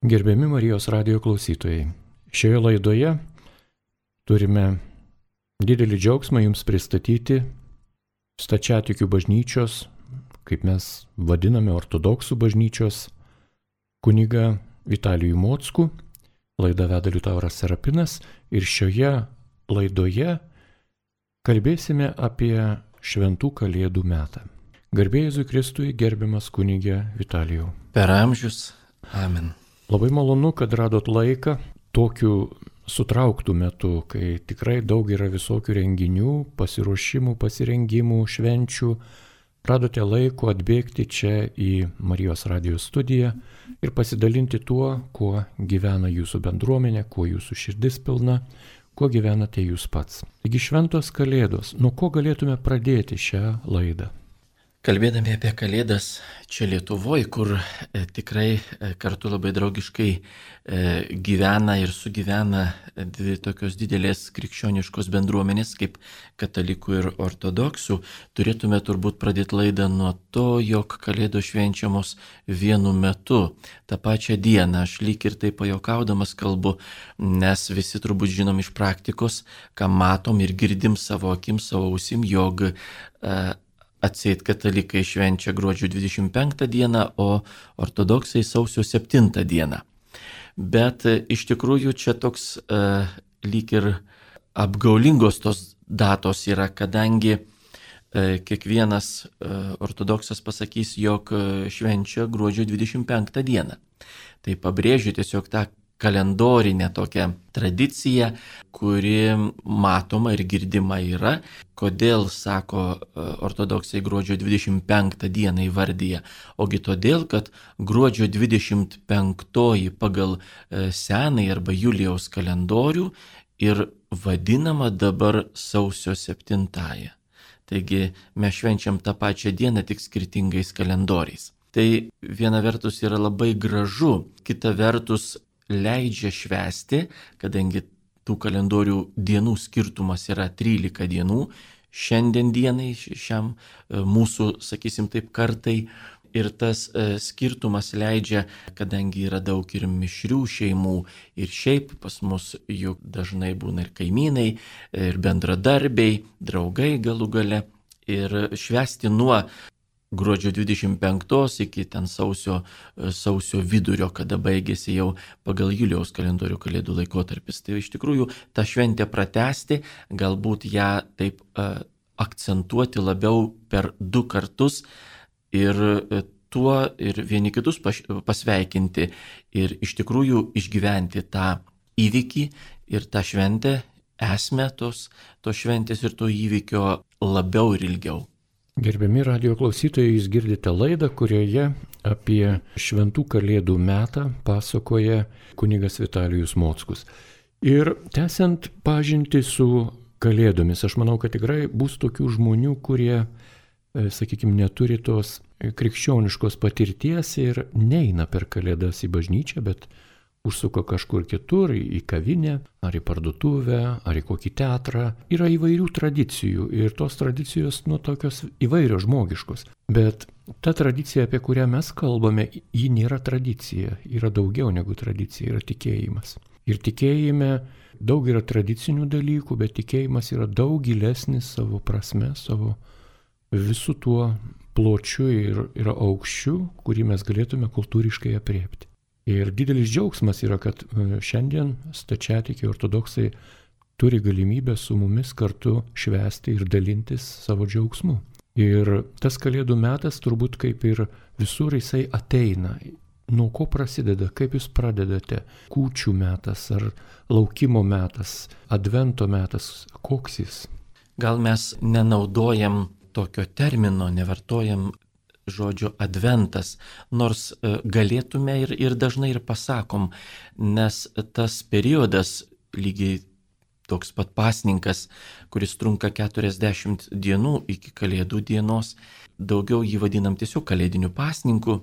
Gerbiami Marijos radijo klausytojai, šioje laidoje turime didelį džiaugsmą jums pristatyti Stačiatikių bažnyčios, kaip mes vadiname ortodoksų bažnyčios, kunigą Vitalijų Mockų. Laidą veda Liutauras Serapinas ir šioje laidoje kalbėsime apie šventų kalėdų metą. Garbė Jėzui Kristui, gerbiamas kunigė Vitalijau. Per amžius. Amen. Labai malonu, kad radot laiką tokiu sutrauktų metu, kai tikrai daug yra visokių renginių, pasiruošimų, pasirengimų, švenčių. Radote laiko atbėgti čia į Marijos radijo studiją ir pasidalinti tuo, kuo gyvena jūsų bendruomenė, kuo jūsų širdis pilna, kuo gyvenate jūs pats. Taigi šventos kalėdos, nuo ko galėtume pradėti šią laidą? Kalbėdami apie Kalėdas čia Lietuvoje, kur tikrai kartu labai draugiškai gyvena ir sugyvena dvi tokios didelės krikščioniškos bendruomenės kaip katalikų ir ortodoksų, turėtume turbūt pradėti laidą nuo to, jog Kalėdos švenčiamos vienu metu, tą pačią dieną. Aš lyg ir tai pajokaudamas kalbu, nes visi turbūt žinom iš praktikos, ką matom ir girdim savo akim, savo ausim, jog atseit katalikai švenčia gruodžio 25 dieną, o ortodoksai sausio 7 dieną. Bet iš tikrųjų čia toks lyg ir apgaulingos tos datos yra, kadangi kiekvienas ortodoksas pasakys, jog švenčia gruodžio 25 dieną. Tai pabrėžiu tiesiog tą kalendorinę tokią tradiciją, kuri matoma ir girdima yra. Kodėl, sako ortodoksai, gruodžio 25 dieną įvardyja? Ogi todėl, kad gruodžio 25 pagal senąjį arba Julijaus kalendorių ir vadinama dabar sausio 7. Taigi mes švenčiam tą pačią dieną tik skirtingais kalendoriais. Tai viena vertus yra labai gražu, kita vertus leidžia švęsti, kadangi tų kalendorių dienų skirtumas yra 13 dienų, šiandien dienai, šiam mūsų, sakysim taip, kartai. Ir tas skirtumas leidžia, kadangi yra daug ir mišrių šeimų, ir šiaip pas mus juk dažnai būna ir kaimynai, ir bendradarbiai, draugai galų gale, ir švęsti nuo gruodžio 25 iki ten sausio vidurio, kada baigėsi jau pagal Julijaus kalendorių kalėdų laikotarpis. Tai iš tikrųjų tą šventę pratęsti, galbūt ją taip akcentuoti labiau per 2 kartus ir tuo ir vieni kitus pasveikinti ir iš tikrųjų išgyventi tą įvykį ir tą šventę, esmę tos šventės ir to įvykio labiau ir ilgiau. Gerbiami radijo klausytojai, jūs girdite laidą, kurioje apie šventų kalėdų metą pasakoja kunigas Vitalijus Mockus. Ir tęsiant pažintį su kalėdomis, aš manau, kad tikrai bus tokių žmonių, kurie, sakykime, neturi tos krikščioniškos patirties ir neina per kalėdas į bažnyčią, bet užsuka kažkur kitur, į kavinę, ar į parduotuvę, ar į kokį teatrą. Yra įvairių tradicijų ir tos tradicijos, tokios įvairios žmogiškos. Bet ta tradicija, apie kurią mes kalbame, ji nėra tradicija, yra daugiau negu tradicija, yra tikėjimas. Ir tikėjime daug yra tradicinių dalykų, bet tikėjimas yra daug gilesnis savo prasme, savo visų tuo pločiu ir aukščiu, kurį mes galėtume kultūriškai apriepti. Ir didelis džiaugsmas yra, kad šiandien stačiatikiai ortodoksai turi galimybę su mumis kartu švęsti ir dalintis savo džiaugsmu. Ir tas kalėdų metas turbūt kaip ir visur jisai ateina. Nuo ko prasideda, kaip jūs pradedate? Kūčių metas ar laukimo metas, advento metas, koks jis? Gal mes nenaudojam tokio termino, nevartojam žodžio adventas, nors galėtume ir dažnai ir pasakom, nes tas periodas lygiai toks pat pasninkas, kuris trunka 40 dienų iki kalėdų dienos, daugiau jį vadinam tiesiog kalėdiniu pasninku,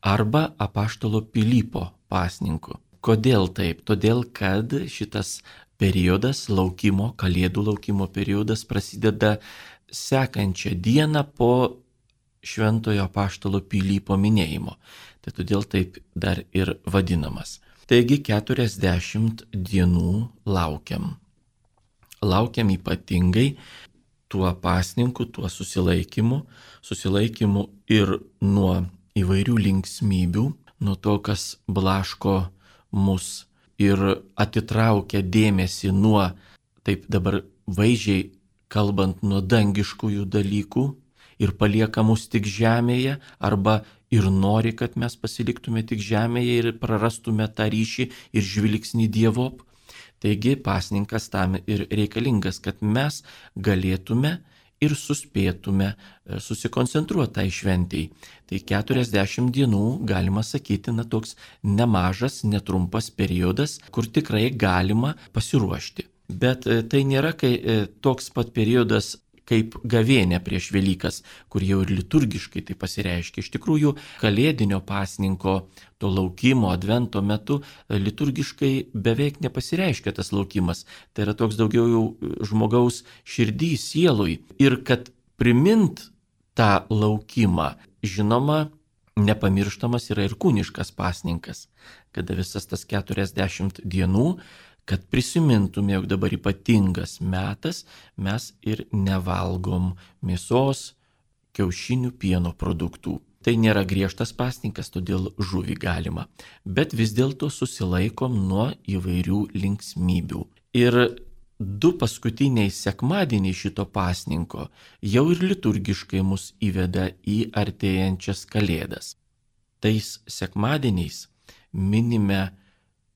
arba apaštalo Pilypo pasninku. Kodėl taip? Todėl, kad šitas periodas kalėdų laukimo periodas prasideda sekančią dieną po Šventojo Apaštalo Pilypo minėjimo. Tai todėl taip dar ir vadinamas. Taigi 40 dienų laukiam. Laukiam ypatingai tuo pasninku, tuo susilaikymu ir nuo įvairių linksmybių, nuo to, kas blaško mus ir atitraukia dėmesį nuo, taip dabar vaizdžiai kalbant, nuo dangiškųjų dalykų ir palieka mus tik žemėje, arba ir nori, kad mes pasiliktume tik žemėje ir prarastume tą ryšį ir žvilgsnį Dievop. Taigi pasninkas tam ir reikalingas, kad mes galėtume ir suspėtume susikoncentruoti tai šventėjai. Tai 40 dienų, galima sakyti, toks nemažas, netrumpas periodas, kur tikrai galima pasiruošti. Bet tai nėra toks pat periodas kaip gavėnia prieš Velykas, kur jau ir liturgiškai tai pasireiškia. Iš tikrųjų, kalėdinio pasninko, to laukimo, advento metu liturgiškai beveik nepasireiškia tas laukimas. Tai yra toks daugiau jau žmogaus širdį, sielui. Ir kad primint tą laukimą, žinoma, nepamirštamas yra ir kūniškas pasninkas, kada visas tas 40 dienų, kad prisimintume, jog dabar ypatingas metas, mes ir nevalgom mėsos, kiaušinių, pieno produktų. Tai nėra griežtas pasninkas, todėl žuvį galima, bet vis dėlto susilaikom nuo įvairių linksmybių. Ir 2 paskutiniai sekmadieniai šito pasninko jau ir liturgiškai mus įveda į artėjančias kalėdas. Tais sekmadieniais minime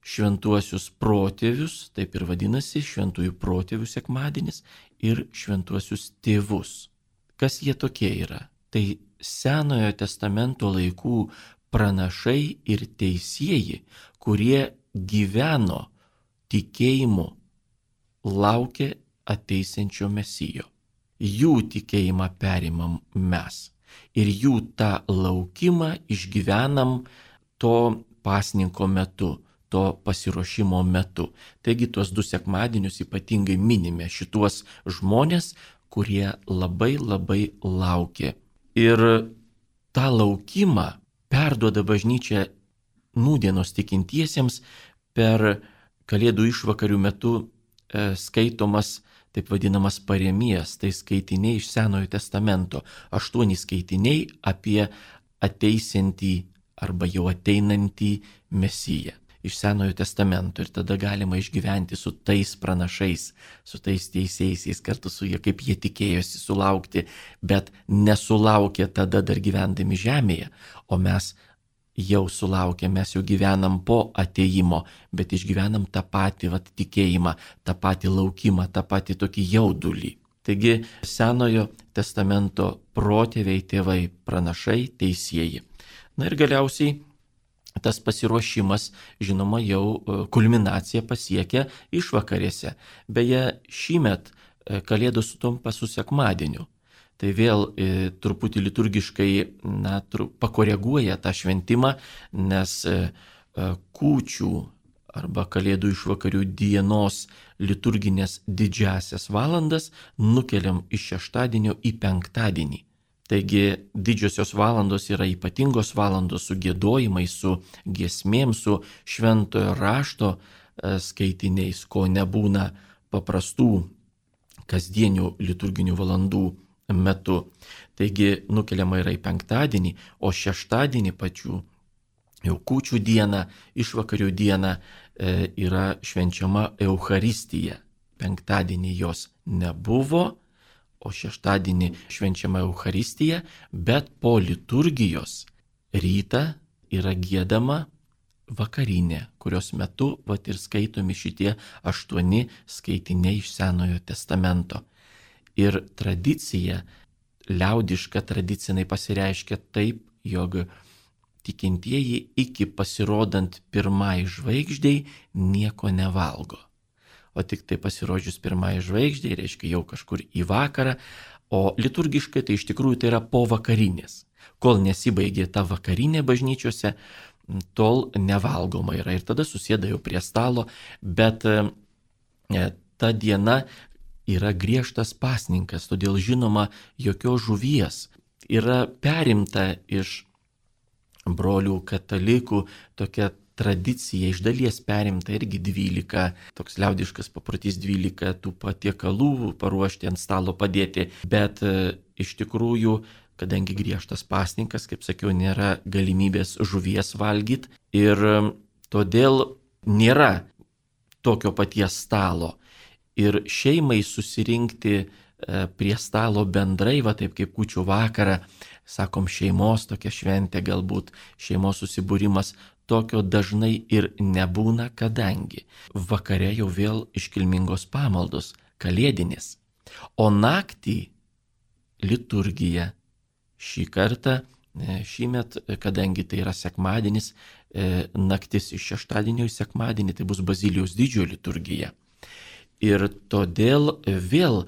šventuosius protėvius, taip ir vadinasi šventųjų protėvių sekmadienis, ir šventuosius tėvus. Kas jie tokie yra? Tai Senojo testamento laikų pranašai ir teisieji, kurie gyveno tikėjimu, laukė ateisiančio Mesijo. Jų tikėjimą perimam mes ir jų tą laukimą išgyvenam to pasninko metu, to pasiruošimo metu. Taigi tuos 2 sekmadienius ypatingai minime šituos žmonės, kurie labai labai laukė. Ir tą laukimą perduoda bažnyčia nūdienos tikintiesiems per Kalėdų išvakarių metu skaitomas taip vadinamas paremijas, tai skaitiniai iš Senojo testamento, 8 skaitiniai apie ateisiantį arba jau ateinantį Mesiją iš Senojo testamento. Ir tada galima išgyventi su tais pranašais, su tais teisėjaisiais, kartu su jie, kaip jie tikėjosi sulaukti, bet nesulaukė tada dar gyvendami žemėje, o mes jau sulaukė, mes jau gyvenam po atėjimo, bet išgyvenam tą patį tikėjimą, tą patį laukimą, tą patį tokį jaudulį. Taigi Senojo testamento protėviai, tėvai, pranašai, teisieji. Na ir galiausiai tas pasiruošimas, žinoma, jau kulminaciją pasiekia išvakarėse. Beje, šįmet Kalėdos sutampa su sekmadieniu. Tai vėl truputį liturgiškai pakoreguoja tą šventimą, nes kūčių arba Kalėdų išvakarių dienos liturginės didžiasias valandas nukeliam iš šeštadienio į penktadienį. Taigi didžiosios valandos yra ypatingos valandos su giedojimais, su giesmėm, su šventojo rašto skaitiniais, ko nebūna paprastų kasdienių liturginių valandų metu. Taigi nukeliama yra į penktadienį, o šeštadienį pačių jau kūčių dieną, išvakarių dieną yra švenčiama Eucharistija. Penktadienį jos nebuvo, o šeštadienį švenčiama Eucharistija, bet po liturgijos rytą yra giedama vakarinė, kurios metu ir skaitomi šitie 8 skaitiniai iš Senojo testamento. Ir tradicija, liaudiška tradicinai pasireiškia taip, jog tikintieji iki pasirodant pirmai žvaigždei nieko nevalgo. O tik tai pasirodžius pirmai žvaigždei, reiškia jau kažkur į vakarą, o liturgiškai tai iš tikrųjų tai yra po vakarinės. Kol nesibaigė ta vakarinė bažnyčiose, tol nevalgoma yra ir tada susėda jau prie stalo, bet ta diena yra griežtas pasninkas, todėl žinoma jokios žuvies yra perimta iš brolių katalikų tokia tradicija, iš dalies perimta irgi 12, toks liaudiškas paprotys 12 tų patiekalų paruošti ant stalo padėti, bet iš tikrųjų, kadangi griežtas pasninkas, kaip sakiau, nėra galimybės žuvies valgyti ir todėl nėra tokio paties stalo. Ir šeimai susirinkti prie stalo bendrai, va taip kaip kūčių vakarą, sakom, šeimos tokia šventė, galbūt šeimos susibūrimas, tokio dažnai ir nebūna, kadangi vakare jau vėl iškilmingos pamaldos, kalėdinės, o naktį liturgija. Šį kartą, šįmet, kadangi tai yra sekmadienis, naktis iš šeštadienio į sekmadienį, tai bus Bazilijos didžiojo liturgija. Ir todėl vėl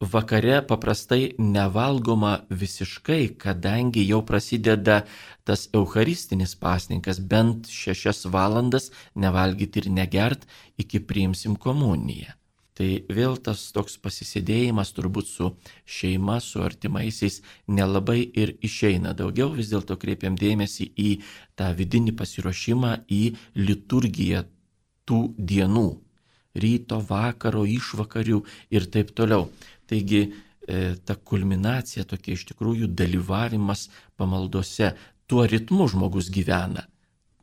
vakare paprastai nevalgoma visiškai, kadangi jau prasideda tas eucharistinis pasninkas, bent 6 valandas nevalgyti ir negert, iki priimsim komuniją. Tai vėl tas toks pasisėdėjimas turbūt su šeima, su artimaisiais nelabai ir išeina. Daugiau vis dėlto kreipiam dėmesį į tą vidinį pasiruošimą, į liturgiją tų dienų, ryto, vakaro, išvakarių ir taip toliau. Taigi ta kulminacija tokia iš tikrųjų dalyvavimas pamaldose, tuo ritmu žmogus gyvena.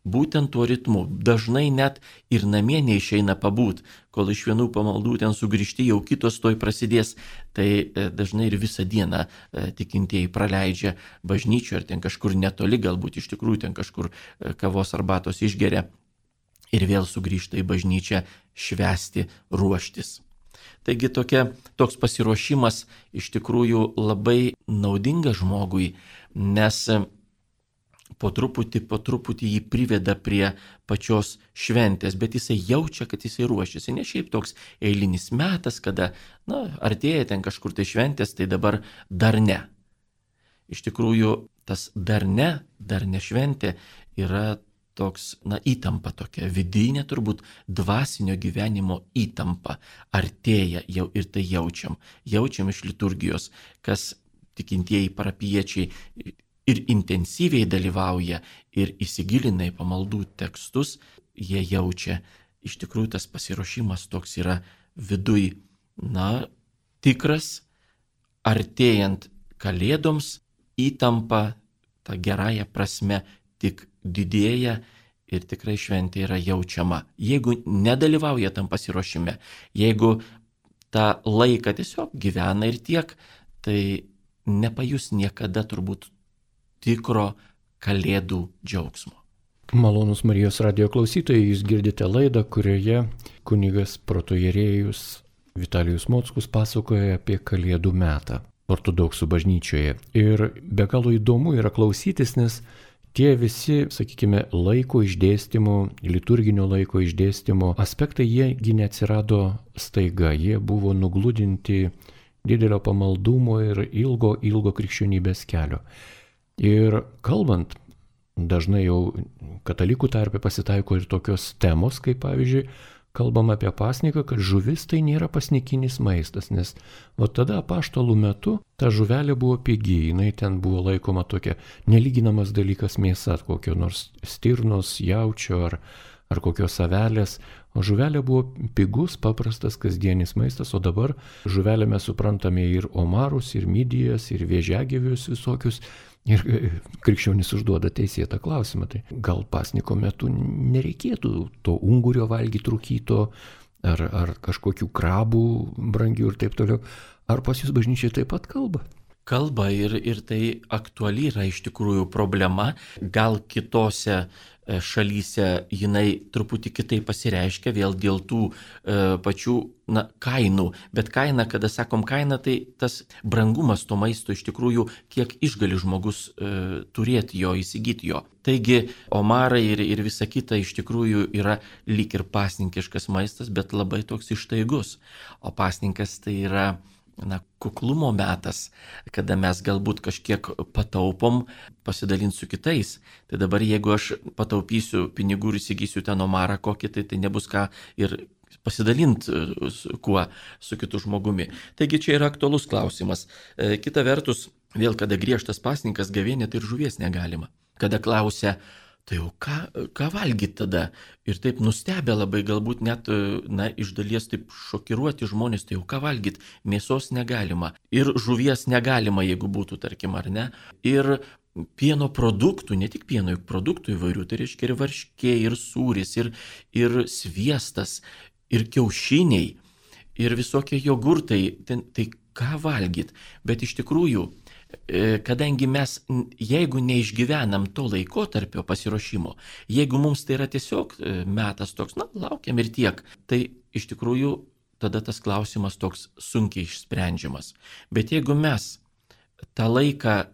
Būtent tuo ritmu. Dažnai net ir namie neišeina pabūt, kol iš vienų pamaldų ten sugrįžti, jau kitos toj prasidės. Tai dažnai ir visą dieną tikintieji praleidžia bažnyčioje, ar ten kažkur netoli, galbūt iš tikrųjų ten kažkur kavos arbatos išgeria ir vėl sugrįžta į bažnyčią švęsti, ruoštis. Taigi toks pasiruošimas iš tikrųjų labai naudingas žmogui, nes po truputį jį priveda prie pačios šventės, bet jisai jaučia, kad jisai ruošiasi. Ne šiaip toks eilinis metas, kada, artėja ten kažkur tai šventės, tai dabar dar ne. Iš tikrųjų, tas dar ne šventė yra toks, įtampa tokia, vidinė turbūt dvasinio gyvenimo įtampa. Artėja jau ir tai jaučiam. Jaučiam iš liturgijos, kas tikintieji parapiečiai ir intensyviai dalyvauja ir įsigilina į pamaldų tekstus, jie jaučia, iš tikrųjų tas pasiruošimas toks yra viduj, tikras, artėjant kalėdoms, įtampa, ta gerąja prasme, tik didėja ir tikrai šventė yra jaučiama. Jeigu nedalyvauja tam pasiruošime, jeigu tą laiką tiesiog gyvena ir tiek, tai nepajus niekada turbūt tikro kalėdų džiaugsmo. Malonūs Marijos radijo klausytojai, jūs girdite laidą, kurioje kunigas protoierėjus Vitalijus Mockus pasakoja apie kalėdų metą ortodoksų bažnyčioje. Ir be galo įdomu yra klausytis, nes tie visi, sakykime, laiko išdėstymo, liturginio laiko išdėstymo aspektai, jiegi neatsirado staiga, jie buvo nugludinti didelio pamaldumo ir ilgo krikščionybės kelio. Ir kalbant, dažnai jau katalikų tarpe pasitaiko ir tokios temos, kaip pavyzdžiui, kalbam apie pasniką, kad žuvis tai nėra pasnikinis maistas, nes tada apaštalų metu ta žuvelė buvo pigi, jinai ten buvo laikoma tokia nelyginamas dalykas mėsa, kokio nors stirnos, jaučio ar kokios avelės, o žuvelė buvo pigus, paprastas kasdienis maistas, o dabar žuvelę mes suprantame ir omarus, ir midijas, ir vėžiagyvius visokius. Ir krikščionis užduoda teisėtą klausimą, tai gal pasniko metu nereikėtų to ungurio valgyti rūkyto, ar kažkokių krabų brangių ir taip toliau. Ar pas jūs bažnyčiai taip pat kalba? Kalba ir tai aktuali yra iš tikrųjų problema. Gal kitose šalyse jinai truputį kitaip pasireiškia vėl dėl tų pačių kainų. Bet kaina, kada sakom kaina, tai tas brangumas to maisto iš tikrųjų, kiek išgali žmogus turėti jo, įsigyti jo. Taigi omarai ir visa kita iš tikrųjų yra lyg ir pasninkiškas maistas, bet labai toks ištaigus. O pasninkas tai yra kuklumo metas, kada mes galbūt kažkiek pataupom pasidalinti su kitais. Tai dabar jeigu aš pataupysiu pinigų ir įsigysiu ten omarą kokį, tai nebus ką ir pasidalinti kuo su kitu žmogumi. Taigi čia yra aktualus klausimas. Kita vertus, Vėl, kada griežtas pasninkas, gavėnė, tai ir žuvies negalima. Kada klausia, tai jau ką valgyti tada? Ir taip nustebę labai, galbūt net, iš dalies taip šokiruoti žmonės, tai jau ką valgyti? Mėsos negalima. Ir žuvies negalima, jeigu būtų, tarkim, ar ne. Ir pieno produktų, ne tik pieno, juk produktų įvairių, tai reiškia ir varškė, ir sūris, ir sviestas, ir kiaušiniai, ir visokie jogurtai. Tai ką valgyti? Bet iš tikrųjų, kadangi mes, jeigu neišgyvenam to laikotarpio pasiruošimo, jeigu mums tai yra tiesiog metas toks, laukiam ir tiek, tai iš tikrųjų tada tas klausimas toks sunkiai išsprendžiamas. Bet jeigu mes tą laiką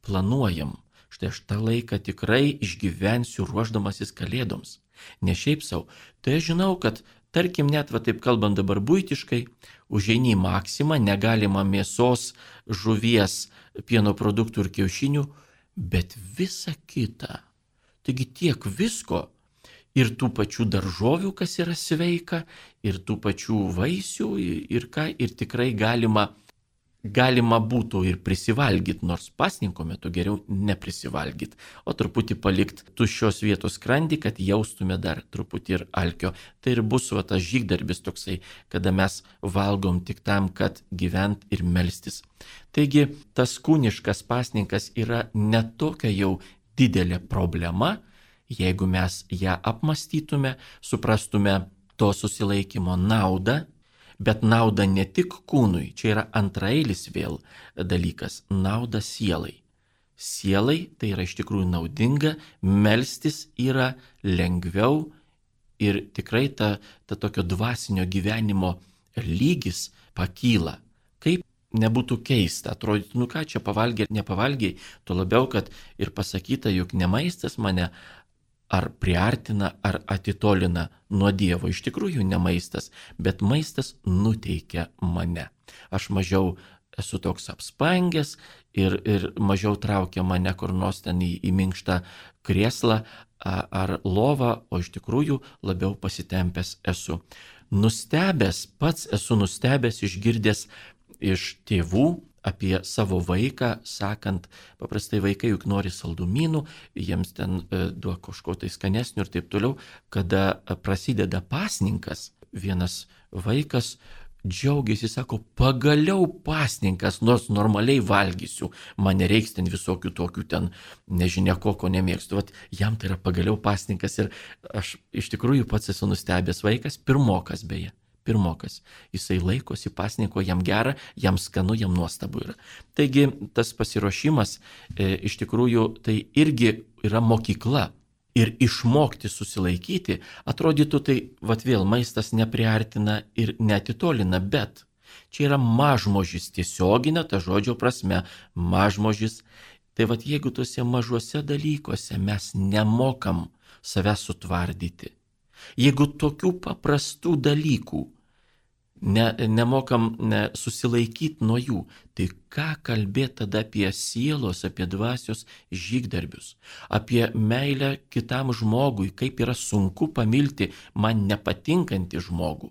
planuojam, štai aš tą laiką tikrai išgyvensiu ruošdamasis kalėdoms, ne šiaip savo, tai aš žinau, kad tarkim, net taip kalbant dabar buitiškai, užeini į maksimą, negalima mėsos, žuvies, pieno produktų ir kiaušinių, bet visa kita. Taigi tiek visko, ir tų pačių daržovių, kas yra sveika, ir tų pačių vaisių, ir tikrai galima būtų ir prisivalgyti, nors pasninko metu geriau neprisivalgyti, o truputį palikti tuščios vietos skrandį, kad jaustume dar truputį ir alkio. Tai ir bus tas žygdarbis toksai, kada mes valgom tik tam, kad gyvent ir melstis. Taigi tas kūniškas pasninkas yra netokia jau didelė problema, jeigu mes ją apmastytume, suprastume to susilaikymo naudą. Bet nauda ne tik kūnui, čia yra antraeilis vėl dalykas, nauda sielai. Sielai tai yra iš tikrųjų naudinga, melstis yra lengviau ir tikrai ta tokio dvasinio gyvenimo lygis pakyla. Kaip nebūtų keista, atrodytų, ką čia pavalgė ar nepavalgė, tuo labiau, kad ir pasakyta, juk ne maistas mane ar priartina, ar atitolina nuo Dievo. Iš tikrųjų ne maistas, bet maistas nuteikia mane. Aš mažiau esu toks apspangęs ir mažiau traukia mane kur nors ten į minkštą krėslą ar lovą, o iš tikrųjų labiau pasitempęs esu. Pats esu nustebęs, išgirdęs iš tėvų apie savo vaiką, sakant, paprastai vaikai juk nori saldumynų, jiems ten duok kažko tai skanesnio ir taip toliau. Kada prasideda pasninkas, vienas vaikas džiaugiasi, sako, pagaliau pasninkas, nors normaliai valgysiu, man nereiks ten visokių tokių ten, nežinia ko nemėgstu. Vat jam tai yra pagaliau pasninkas ir aš iš tikrųjų pats esu nustebęs vaikas, pirmokas beje. Jisai laikosi pasninko, jam gera, jam skanu, jam nuostabu yra. Taigi tas pasiruošimas iš tikrųjų tai irgi yra mokykla. Ir išmokti susilaikyti, atrodytų tai, vėl maistas nepriartina ir neatitolina, bet čia yra mažmožis, tiesioginė ta žodžio prasme, mažmožis. Tai jeigu tuose mažuose dalykuose mes nemokam save sutvardyti, jeigu tokių paprastų dalykų nemokam susilaikyti nuo jų, tai ką kalbėti tada apie sielos, apie dvasios žygdarbius, apie meilę kitam žmogui, kaip yra sunku pamilti man nepatinkantį žmogų,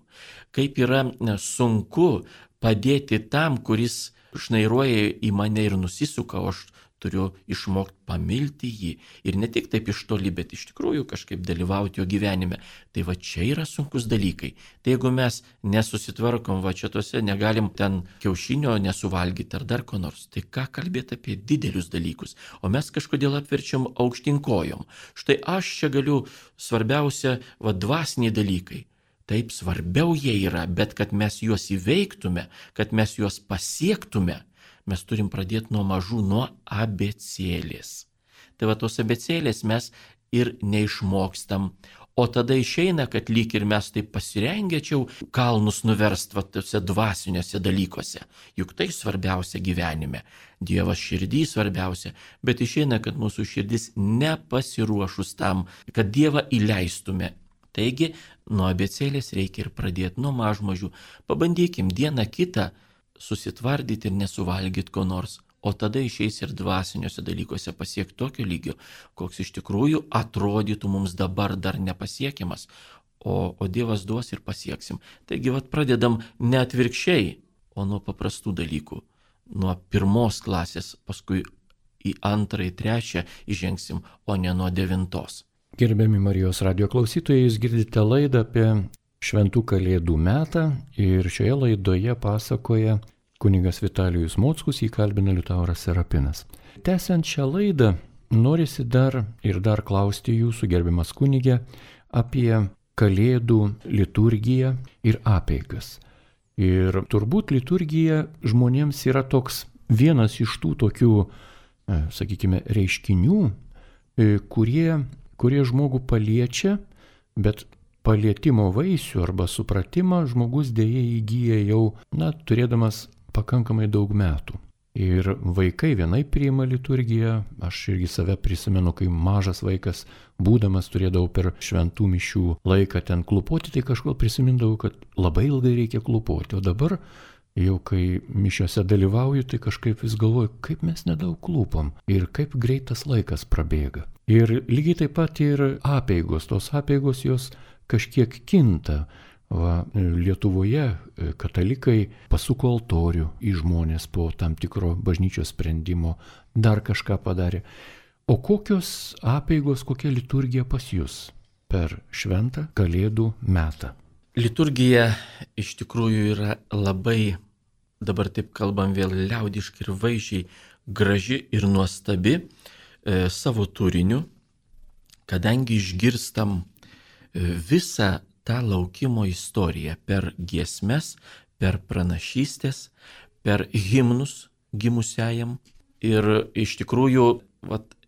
kaip yra sunku padėti tam, kuris šnairuoja į mane ir nusisuka, o aš turiu išmokti pamilti jį. Ir ne tik taip iš toli, bet iš tikrųjų kažkaip dalyvauti jo gyvenime. Tai čia yra sunkus dalykai. Tai jeigu mes nesusitvarkom čia tuose, negalim ten kiaušinio nesuvalgyti ar dar ko nors, tai ką kalbėti apie didelius dalykus? O mes kažkodėl apverčiam aukštinkojom. Štai aš čia galiu, svarbiausia, dvasiniai dalykai. Taip svarbiau jie yra, bet kad mes juos įveiktume, kad mes juos pasiektume, mes turim pradėti nuo mažų, nuo abėcėlės. Tai tos abėcėlės mes ir neišmokstam. O tada išeina, kad lyg ir mes taip pasirengėčiau kalnus nuverst tuose dvasiniuose dalykuose. Juk tai svarbiausia gyvenime. Dievas širdį svarbiausia, bet išeina, kad mūsų širdis nepasiruošus tam, kad Dievą įleistume. Taigi, nuo abėcėlės reikia ir pradėti nuo mažmažių. Pabandykim dieną kitą susitvardyti ir nesuvalgyti ko nors, o tada išeis ir dvasiniuose dalykuose pasiekti tokio lygio, koks iš tikrųjų atrodytų mums dabar dar nepasiekiamas, o Dievas duos ir pasieksim. Taigi pradedam ne atvirkščiai, o nuo paprastų dalykų. nuo 1 klasės, paskui į 2, 3 įžengsim, o ne nuo 9. Gerbiami Marijos radio klausytojai, jūs girdite laidą apie Šventų Kalėdų metą ir šioje laidoje pasakoja kunigas Vitalijus Mockus, jį kalbina Liutauras Serapinas. Tęsiant šią laidą, norisi dar klausti jūsų, gerbiamas kunige, apie Kalėdų liturgiją ir apeigas. Ir turbūt liturgija žmonėms yra toks vienas iš tų tokių, sakykime, reiškinių, kurie žmogų paliečia, bet palietimo vaisių arba supratimą žmogus dėja įgyja jau, turėdamas pakankamai daug metų. Ir vaikai vienai priima liturgiją, aš irgi save prisimenu, kai mažas vaikas, būdamas turėdavau per šventų mišių laiką ten klupoti, tai kažkodėl prisimindavau, kad labai ilgai reikia klupoti, o dabar jau kai mišiose dalyvauju, tai kažkaip vis galvoju, kaip mes nedaug klūpam ir kaip greitas laikas prabėga. Ir lygiai taip pat ir apeigos, tos apeigos jos kažkiek kinta. Lietuvoje katalikai pasuko altorių į žmonės po tam tikro bažnyčios sprendimo, dar kažką padarė. O kokios apeigos, kokia liturgija pas jūs per Šventą Kalėdų metą? Liturgija iš tikrųjų yra labai, dabar taip kalbam vėl liaudiškai ir vaizdžiai, graži ir nuostabi savo turiniu, kadangi išgirstam visą tą laukimo istoriją per giesmes, per pranašystės, per himnus gimusiajam. Ir iš tikrųjų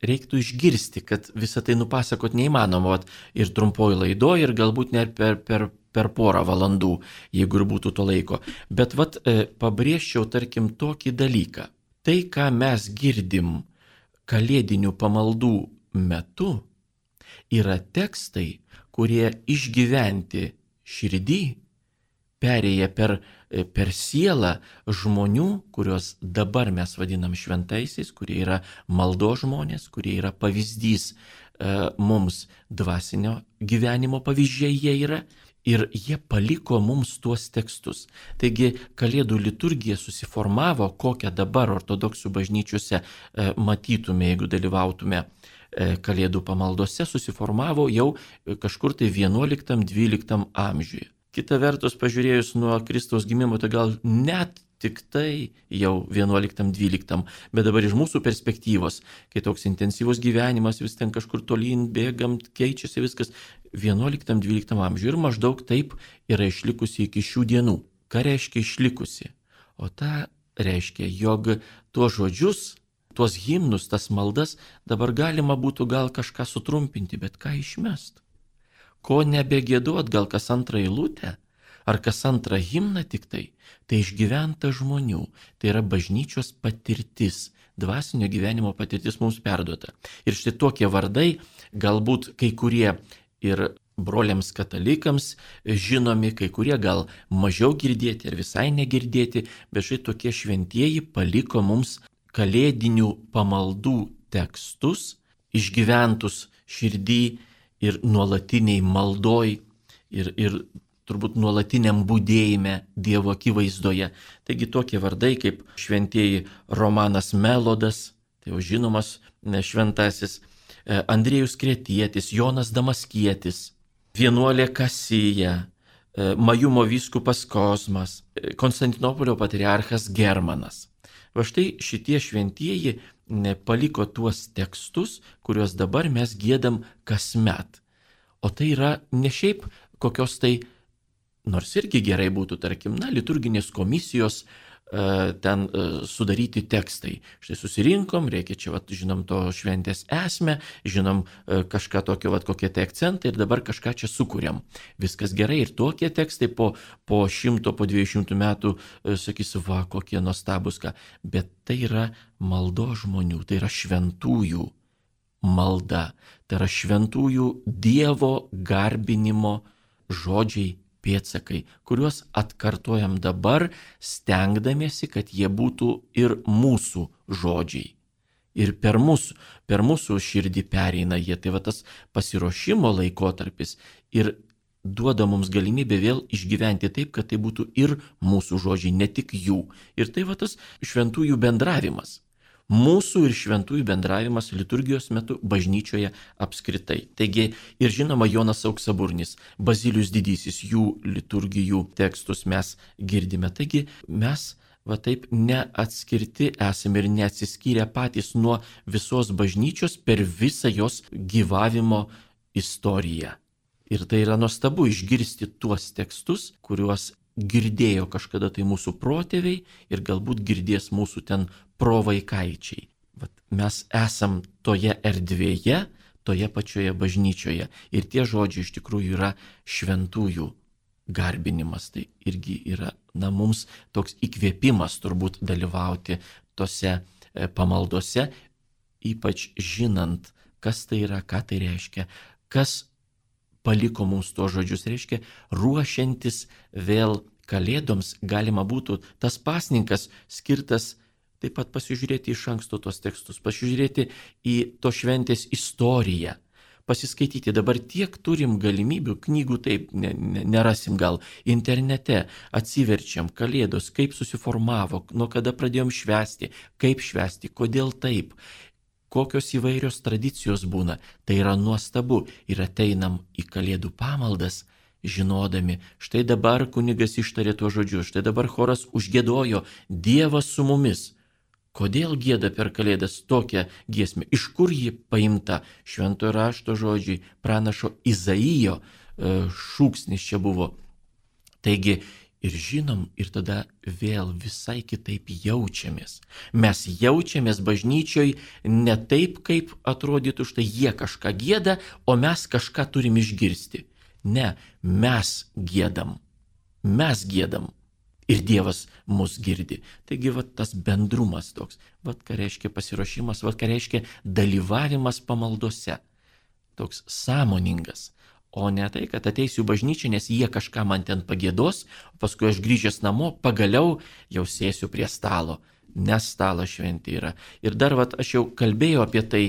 reiktų išgirsti, kad visą tai nupasakot neįmanoma ir trumpoji laidoje, ir galbūt net per porą valandų, jeigu ir būtų to laiko. Bet pabrėžčiau, tarkim, tokį dalyką. Tai, ką mes girdim kalėdinių pamaldų metu, yra tekstai, kurie išgyventi širdį, perėję per sielą žmonių, kuriuos dabar mes vadinam šventaisiais, kurie yra maldos žmonės, kurie yra pavyzdys mums dvasinio gyvenimo pavyzdžiai jie yra, ir jie paliko mums tuos tekstus. Taigi Kalėdų liturgija susiformavo, kokią dabar ortodoksų bažnyčiose matytume, jeigu dalyvautume Kalėdų pamaldose, susiformavo jau kažkur tai 11-12 amžiuje. Kita vertus, pažiūrėjus nuo Kristaus gimimo, tai gal net tik tai jau 11-12, bet dabar iš mūsų perspektyvos, kai toks intensyvus gyvenimas, vis ten kažkur tolyn bėgam, keičiasi viskas, 11-12 amžiuje ir maždaug taip yra išlikusi iki šių dienų. Ką reiškia išlikusi? O tą reiškia, jog tuos žodžius, tuos himnus, tas maldas dabar galima būtų gal kažką sutrumpinti, bet ką išmest? Ko nebegėduot, gal kas antrą eilutę, ar kas antrą himną tik tai išgyventa žmonių, tai yra bažnyčios patirtis, dvasinio gyvenimo patirtis mums perduota. Ir štai tokie vardai, galbūt kai kurie ir broliams katalikams žinomi, kai kurie gal mažiau girdėti ar visai negirdėti, bet štai tokie šventieji paliko mums kalėdinių pamaldų tekstus, išgyventus širdį ir nuolatiniai maldoj ir turbūt nuolatiniam būdėjime Dievo akivaizdoje. Taigi tokie vardai kaip šventieji Romanas Melodas, tai jau žinomas šventasis, Andriejus Kretietis, Jonas Damaskietis, vienuolė Kasija, Majumo vyskupas Kosmas, Konstantinopolio patriarchas Germanas. Va štai šitie šventieji paliko tuos tekstus, kuriuos dabar mes giedam kasmet. O tai yra ne šiaip kokios tai, nors irgi gerai būtų, tarkim, liturginės komisijos ten sudaryti tekstai. Štai susirinkom, reikia čia, žinom to šventės esmę, žinom kažką tokio, kokie tai akcentai ir dabar kažką čia sukūrėm. Viskas gerai ir tokie tekstai po 100, po 200 metų sakysiu, kokie nuostabus ką. Bet tai yra maldos žmonių, tai yra šventųjų malda, tai yra šventųjų Dievo garbinimo žodžiai, pėdsakai, kuriuos atkartojam dabar, stengdamiesi, kad jie būtų ir mūsų žodžiai. Ir per mūsų širdį pereina jie. Tai tas pasiruošimo laikotarpis ir duoda mums galimybę vėl išgyventi taip, kad tai būtų ir mūsų žodžiai, ne tik jų. Ir tai va tas šventųjų bendravimas. Mūsų ir šventųjų bendravimas liturgijos metu bažnyčioje apskritai. Taigi ir žinoma Jonas Auksaburnis, Bazilijus Didysis, jų liturgijų tekstus mes girdime. Taigi mes va taip neatskirti esame ir neatsiskyrę patys nuo visos bažnyčios per visą jos gyvavimo istoriją. Ir tai yra nuostabu išgirsti tuos tekstus, kuriuos girdėjo kažkada tai mūsų protėviai ir galbūt girdės mūsų ten provaikaičiai. Vat mes esam toje erdvėje, toje pačioje bažnyčioje. Ir tie žodžiai iš tikrųjų yra šventųjų garbinimas. Tai irgi yra mums toks įkvėpimas turbūt dalyvauti tose pamaldose, ypač žinant, kas tai yra, ką tai reiškia, kas paliko mums tuos žodžius, reiškia, ruošiantis vėl Kalėdoms galima būtų tas pasninkas skirtas taip pat pasižiūrėti iš anksto tos tekstus, pasižiūrėti į to šventės istoriją, pasiskaityti. Dabar tiek turim galimybių, knygų taip nerasim gal, internete atsiverčiam Kalėdos, kaip susiformavo, nuo kada pradėjom švęsti, kaip švęsti, kodėl taip. Kokios įvairios tradicijos būna, tai yra nuostabu ir ateinam į Kalėdų pamaldas, žinodami, štai dabar kunigas ištarė tuos žodžius, štai dabar choras užgiedojo, Dievas su mumis. Kodėl gieda per Kalėdas tokią giesmę? Iš kur ji paimta? Šventojo rašto žodžiai, pranašo Izaijo šūksnis čia buvo. Taigi, ir žinom, ir tada vėl visai kitaip jaučiamės. Mes jaučiamės bažnyčioj ne taip, kaip atrodytų, štai jie kažką gieda, o mes kažką turim išgirsti. Ne, mes giedam. Mes giedam. Ir Dievas mus girdi. Taigi, va tas bendrumas toks. Va ką reiškia pasiruošimas, va ką reiškia dalyvavimas pamaldose. Toks sąmoningas. O ne tai, kad ateisiu bažnyčią, nes jie kažką man ten pagiedos, o paskui aš grįžęs namo pagaliau jau sėsiu prie stalo, nes stalas šventė yra. Ir dar aš jau kalbėjau apie tai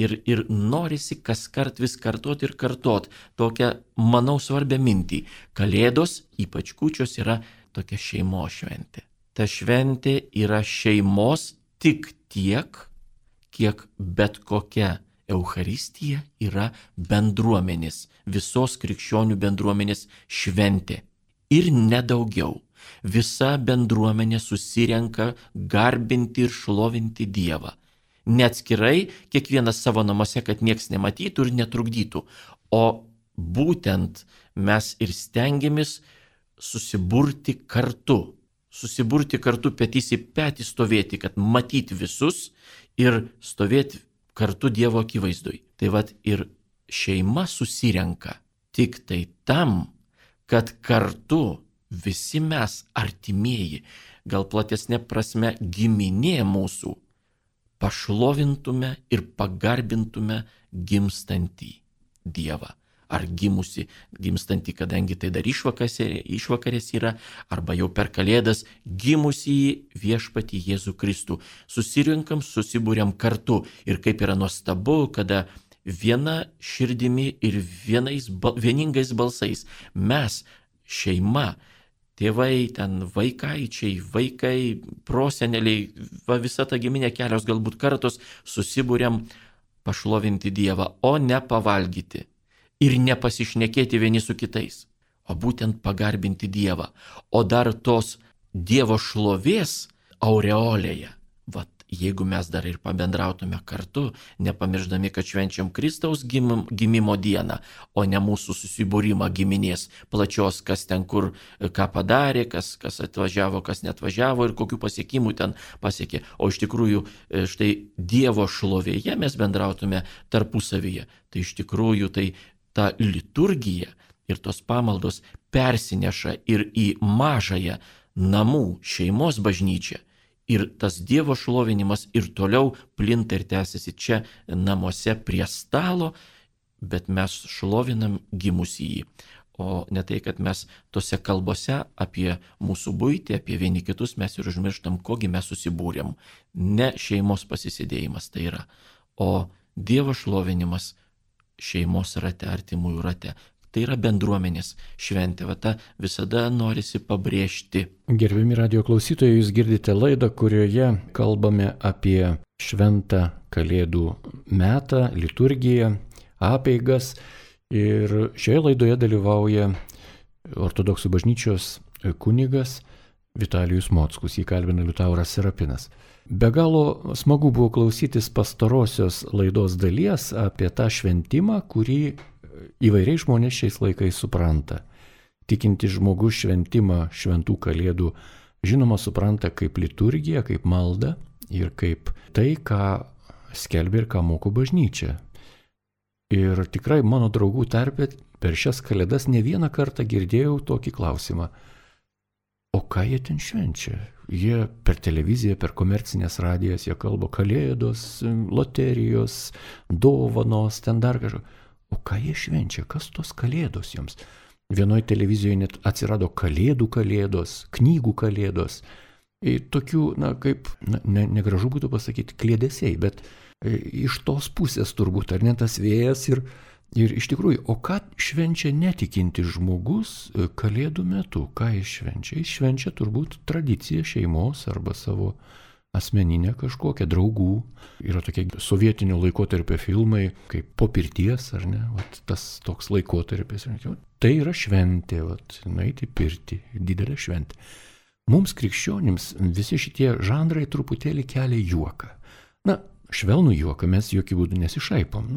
ir norisi kaskart vis kartot ir kartot tokią, manau, svarbią mintį. Kalėdos, ypač kūčios, yra tokia šeimos šventė. Ta šventė yra šeimos tik tiek, kiek bet kokia Eucharistija yra bendruomenės, visos krikščionių bendruomenės šventė. Ir nedaugiau. Visa bendruomenė susirenka garbinti ir šlovinti Dievą. Neatskirai, kiekvienas savo namuose, kad nieks nematytų ir netrukdytų. O būtent mes ir stengiamės susiburti kartu. Susiburti kartu petys į petį stovėti, kad matyti visus ir stovėti kartu Dievo akivaizdoj. Tai ir šeima susirenka tik tai tam, kad kartu visi mes artimieji, gal platesnė prasme giminė mūsų, pašlovintume ir pagarbintume gimstantį Dievą. Ar gimstantį, kadangi tai dar išvakarės yra, arba jau per Kalėdas gimusį viešpatį Jėzų Kristų. Susirinkam, susibūriam kartu ir kaip yra nuostabu, kada viena širdimi ir vieningais balsais mes, šeima, tėvai, ten vaikaičiai, vaikai, proseneliai, visa ta giminė, kelios galbūt kartos susibūriam pašlovinti Dievą, o ne pavalgyti. Ir nepasišnekėti vieni su kitais, o būtent pagarbinti Dievą. O dar tos Dievo šlovės aureolėje. Jeigu mes dar ir pabendrautume kartu, nepamirždami, kad švenčiam Kristaus gimimo dieną, o ne mūsų susibūrimą giminės plačios, kas ten kur ką padarė, kas atvažiavo, kas neatvažiavo ir kokių pasiekimų ten pasiekė. O iš tikrųjų štai Dievo šlovėje mes bendrautume tarpusavyje. Tai iš tikrųjų tai ta liturgija ir tos pamaldos persineša ir į mažąją namų šeimos bažnyčią. Ir tas Dievo šlovinimas ir toliau plinta ir tęsiasi čia namuose prie stalo, bet mes šlovinam gimusįjį. O ne tai, kad mes tose kalbose apie mūsų buitį, apie vieni kitus mes ir užmirštam, kogi mes susibūrėm. Ne šeimos pasisėdėjimas tai yra, o Dievo šlovinimas šeimos rate, artimųjų rate. tai yra bendruomenės šventė. Va tą visada norisi pabrėžti. Gerbiami radijo klausytojai, jūs girdite laidą, kurioje kalbame apie šventą Kalėdų metą, liturgiją, apeigas. Ir šioje laidoje dalyvauja Ortodoksų bažnyčios kunigas Vitalijus Mockus, jį kalbina Liutauras Serapinas. Be galo smagu buvo klausytis pastarosios laidos dalies apie tą šventimą, kurį įvairiai žmonės šiais laikais supranta. Tikinti žmogus šventimą šventų Kalėdų žinoma supranta kaip liturgiją, kaip maldą ir kaip tai, ką skelbia ir ką moko bažnyčia. Ir tikrai mano draugų tarpe per šias Kalėdas ne vieną kartą girdėjau tokį klausimą. O ką jie ten švenčia? Jie per televiziją, per komercinės radijas, jie kalba Kalėdos, loterijos, dovanos, ten dar kažko. O ką jie švenčia? Kas tos Kalėdos jiems? Vienoje televizijoje net atsirado Kalėdų Kalėdos, knygų Kalėdos. Tokių, negražu būtų pasakyti, kliedesiai, bet iš tos pusės turbūt, ar ne tas vėjas ir iš tikrųjų, o ką švenčia netikinti žmogus Kalėdų metu? Ką jis švenčia? Jis švenčia turbūt tradiciją šeimos arba savo asmeninę kažkokią, draugų. Yra tokie sovietinio laikotarpio filmai, kaip Po pirties, ar ne? Vat tas toks laikotarpis. Tai yra šventė, nueiti į pirtį, didelė šventė. Mums krikščionims visi šitie žanrai truputėlį kelia juoką. Švelnų juoką, mes jokių būdų nesišaipom.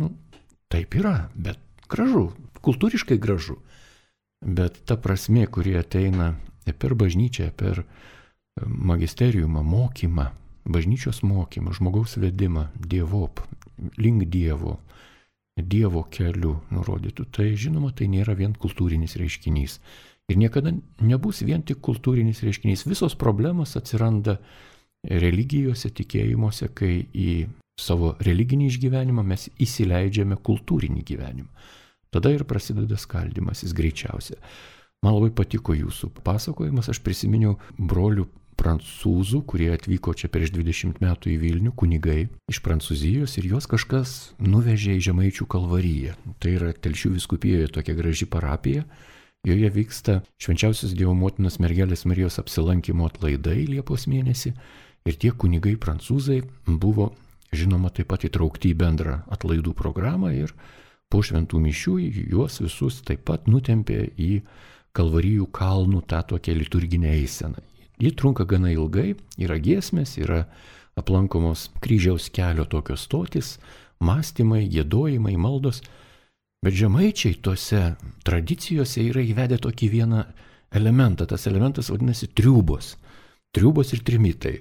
Taip yra, bet gražu, kultūriškai gražu. Bet ta prasmė, kuri ateina per bažnyčią, per magisteriumą, mokymą, bažnyčios mokymą, žmogaus vedimą, dievop, link Dievo keliu nurodytų, tai žinoma, tai nėra vien kultūrinis reiškinys. Ir niekada nebus vien tik kultūrinis reiškinys. Visos problemos atsiranda religijose, tikėjimuose, kai į savo religinį išgyvenimą mes įsileidžiame kultūrinį gyvenimą. Tada ir prasideda skaldymasis greičiausia. Man labai patiko jūsų pasakojimas, aš prisiminiau brolių prancūzų, kurie atvyko čia prieš 20 metų į Vilnių, kunigai iš Prancūzijos, ir juos kažkas nuvežė į Žemaičių Kalvariją. Tai yra Telšių vyskupijoje tokia graži parapija. Joje vyksta Švenčiausios Dievo Motinos Mergelės Marijos apsilankymo atlaidai Liepos mėnesį ir tie kunigai prancūzai buvo, žinoma, taip pat įtraukti į bendrą atlaidų programą ir po šventų mišių juos visus taip pat nutempė į Kalvarijų kalnų tą tokią liturginę eiseną. Ji trunka gana ilgai, yra giesmės, yra aplankomos kryžiaus kelio tokios stotis, mąstymai, giedojimai, maldos. Bet žemaičiai tose tradicijose yra įvedę tokį vieną elementą. Tas elementas vadinasi triūbos. Triūbos ir trimitai.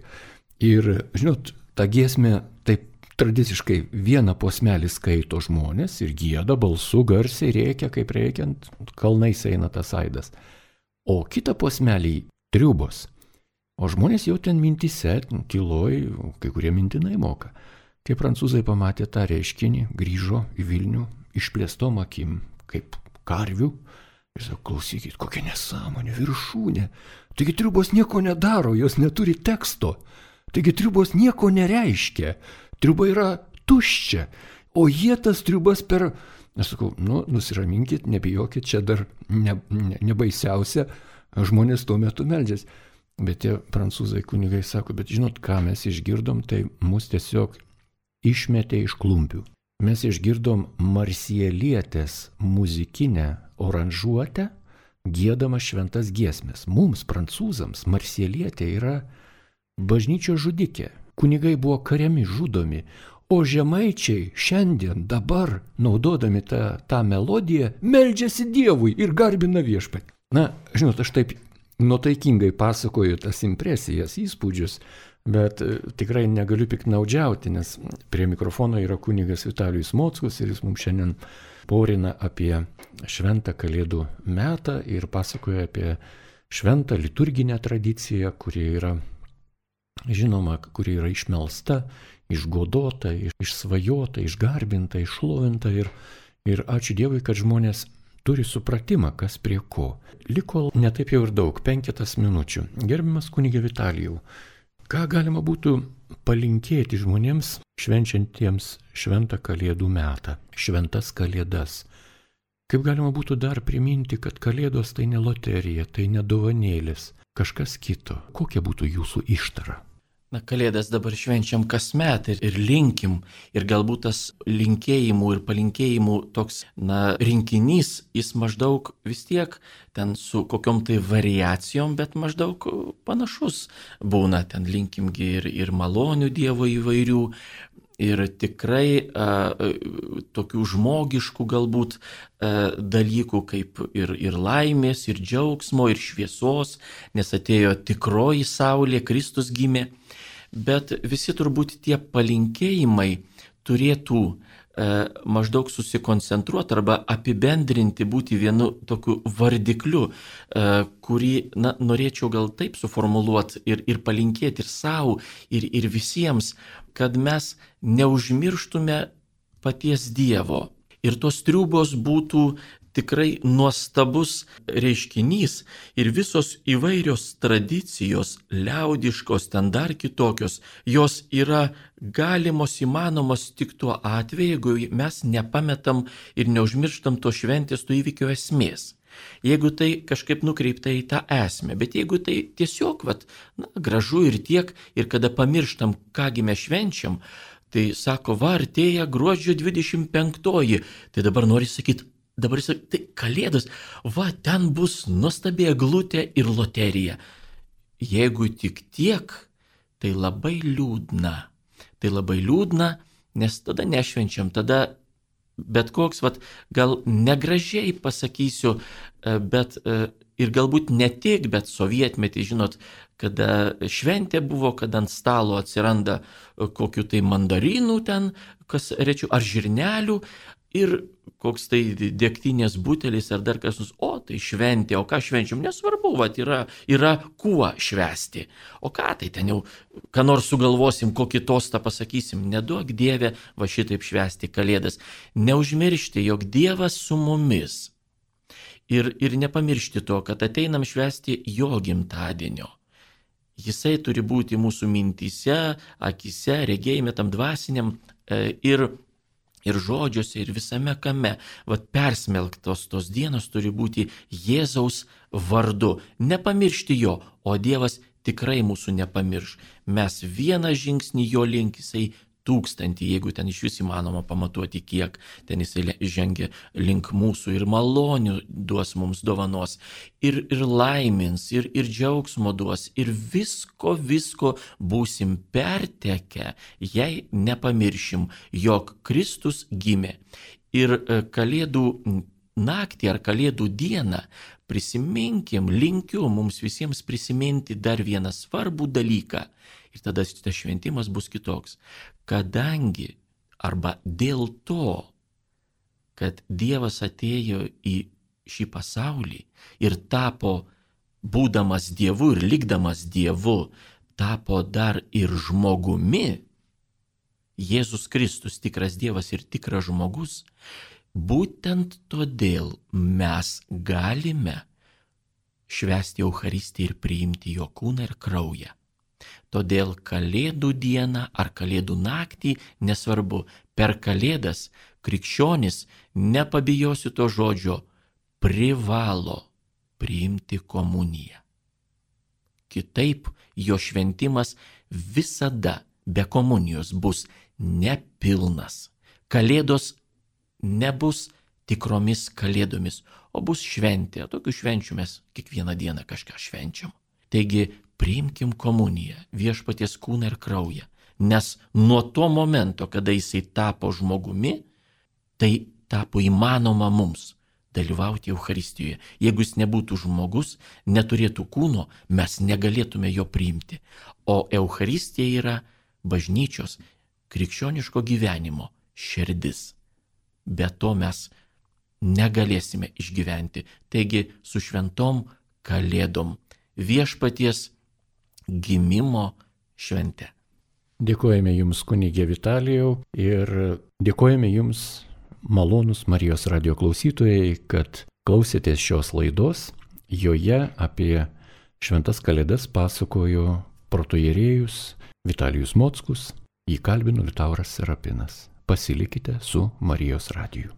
Ir, žinot, ta giesmė taip tradiciškai vieną posmelį skaito žmonės ir gieda balsu, garsiai rėkia, kaip rėkiant, kalnais eina tas aidas. O kitą posmelį triūbos. O žmonės jau ten mintise, tyloj, kai kurie mintinai moka. Kai prancūzai pamatė tą reiškinį, grįžo į Vilnių, išplėstom akim, kaip karvių. Ir sako, klausykit, kokia nesąmonė, viršūnė. Taigi triūbos nieko nedaro, jos neturi teksto. Taigi triūbos nieko nereiškia. Triūba yra tuščia. O jie tas triūbas per... Aš sakau, nusiraminkit, nebijokit, čia dar nebaisiausia, žmonės tuo metu meldžiasi. Bet tie prancūzai kunigai sako, bet žinot, ką mes išgirdom, tai mus tiesiog išmetė iš klumpių. Mes išgirdom marsielietės muzikinę oranžuotę, giedama šventas giesmės. Mums, prancūzams, marsielietė yra bažnyčios žudikė. Kunigai buvo kariami, žudomi, o žemaičiai šiandien, dabar, naudodami tą melodiją, meldžiasi Dievui ir garbina viešpatį. Žinot, aš taip nuotaikingai pasakoju tas impresijas, įspūdžius, bet tikrai negaliu piknaudžiauti, nes prie mikrofono yra kunigas Vitalijus Mockus ir jis mums šiandien porina apie šventą Kalėdų metą ir pasakoja apie šventą liturginę tradiciją, kuri yra žinoma, kuri yra išmelsta, išgodota, išsvajota, išgarbinta, iššlovinta ir ačiū Dievui, kad žmonės turi supratimą, kas prie ko. Liko netaip jau ir daug, 5 minučių. Gerbiamas kunige Vitalijau, ką galima būtų palinkėti žmonėms švenčiantiems šventą Kalėdų metą, šventas Kalėdas? Kaip galima būtų dar priminti, kad Kalėdos tai ne loterija, tai ne dovanėlis, kažkas kito. Kokia būtų jūsų ištara? Na, Kalėdas dabar švenčiam kasmet ir linkim. Ir galbūt tas linkėjimų ir palinkėjimų toks, rinkinys, jis maždaug vis tiek ten su kokiom tai variacijom, bet maždaug panašus būna. Ten linkimgi ir malonių Dievo įvairių. Ir tikrai tokių žmogiškų galbūt dalykų kaip ir laimės, ir džiaugsmo, ir šviesos, nes atėjo tikroji saulė, Kristus gimė. Bet visi turbūt tie palinkėjimai turėtų maždaug susikoncentruoti arba apibendrinti, būti vienu tokiu vardikliu, kurį norėčiau gal taip suformuluoti ir palinkėti ir savo, ir visiems, kad mes neužmirštume paties Dievo. Ir tos triūbos būtų tikrai nuostabus reiškinys ir visos įvairios tradicijos, liaudiškos, ten dar kitokios, jos yra galimos, įmanomos tik tuo atveju, jeigu mes nepametam ir neužmirštam to šventės, to įvykio esmės. Jeigu tai kažkaip nukreipta į tą esmę, bet jeigu tai tiesiog gražu ir tiek, ir kada pamirštam, kągi mes švenčiam, tai sako, artėja gruodžio 25, tai dabar nori sakyti, tai Kalėdos, ten bus nuostabi eglutė ir loterija. Jeigu tik tiek, tai labai liūdna. Tai labai liūdna, nes tada nešvenčiam, tada bet koks, gal negražiai pasakysiu, bet ir galbūt ne tik, bet sovietmetį, žinot, kada šventė buvo, kada ant stalo atsiranda kokių tai mandarinų ten, kas rečiau, ar žirnelių, ir koks tai degtinės butelis ar dar kas nors, tai šventė, o ką švenčiam, nesvarbu, yra kuo švęsti. O ką tai ten jau, ką nors sugalvosim, kokį tostą pasakysim, neduok Dieve šitaip švęsti Kalėdas. Neužmiršti, jog Dievas su mumis. Ir nepamiršti to, kad ateinam švęsti jo gimtadienio. Jisai turi būti mūsų mintyse, akise, regėjime tam dvasiniam ir žodžiuose, ir visame kame. Persmelktos tos dienos turi būti Jėzaus vardu. Nepamiršti jo, o Dievas tikrai mūsų nepamirš. Mes vieną žingsnį jo link, jisai 1000, jeigu ten iš vis įmanoma pamatuoti, kiek ten jisai žengia link mūsų, ir malonių duos mums dovanos, ir laimins, ir džiaugsmo duos, ir visko būsim pertekę, jei nepamiršim, jog Kristus gimė. Ir Kalėdų naktį ar Kalėdų dieną prisiminkim, linkiu mums visiems prisiminti dar vieną svarbų dalyką. Ir tada šitas šventimas bus kitoks. Kadangi arba dėl to, kad Dievas atėjo į šį pasaulį ir tapo, būdamas Dievu ir likdamas Dievu, tapo dar ir žmogumi, Jėzus Kristus, tikras Dievas ir tikras žmogus, būtent todėl mes galime švęsti Eucharistiją ir priimti jo kūną ir kraują. Todėl Kalėdų dieną ar Kalėdų naktį, nesvarbu, per Kalėdas krikščionis, nepabijosiu to žodžio, privalo priimti komuniją. Kitaip jo šventimas visada be komunijos bus nepilnas. Kalėdos nebus tikromis kalėdomis, o bus šventė. Tokių švenčių mes kiekvieną dieną kažką švenčiam. Taigi priimkim komuniją, viešpaties kūną ir kraują, nes nuo to momento, kada jisai tapo žmogumi, tai tapo įmanoma mums dalyvauti Eucharistijoje. Jeigu jis nebūtų žmogus, neturėtų kūno, mes negalėtume jo priimti. O Eucharistija yra bažnyčios, krikščioniško gyvenimo širdis. Be to mes negalėsime išgyventi. Taigi su šventom Kalėdom, viešpaties gimimo švente. Dėkojame Jums, kunigė Vitalijau, ir dėkojame Jums, malonūs Marijos radijo klausytojai, kad klausėtės šios laidos. Joje apie šventas Kalėdas pasakojo protoierėjus Vitalijus Mockus, jį kalbino Liutauras Serapinas. Pasilikite su Marijos radiju.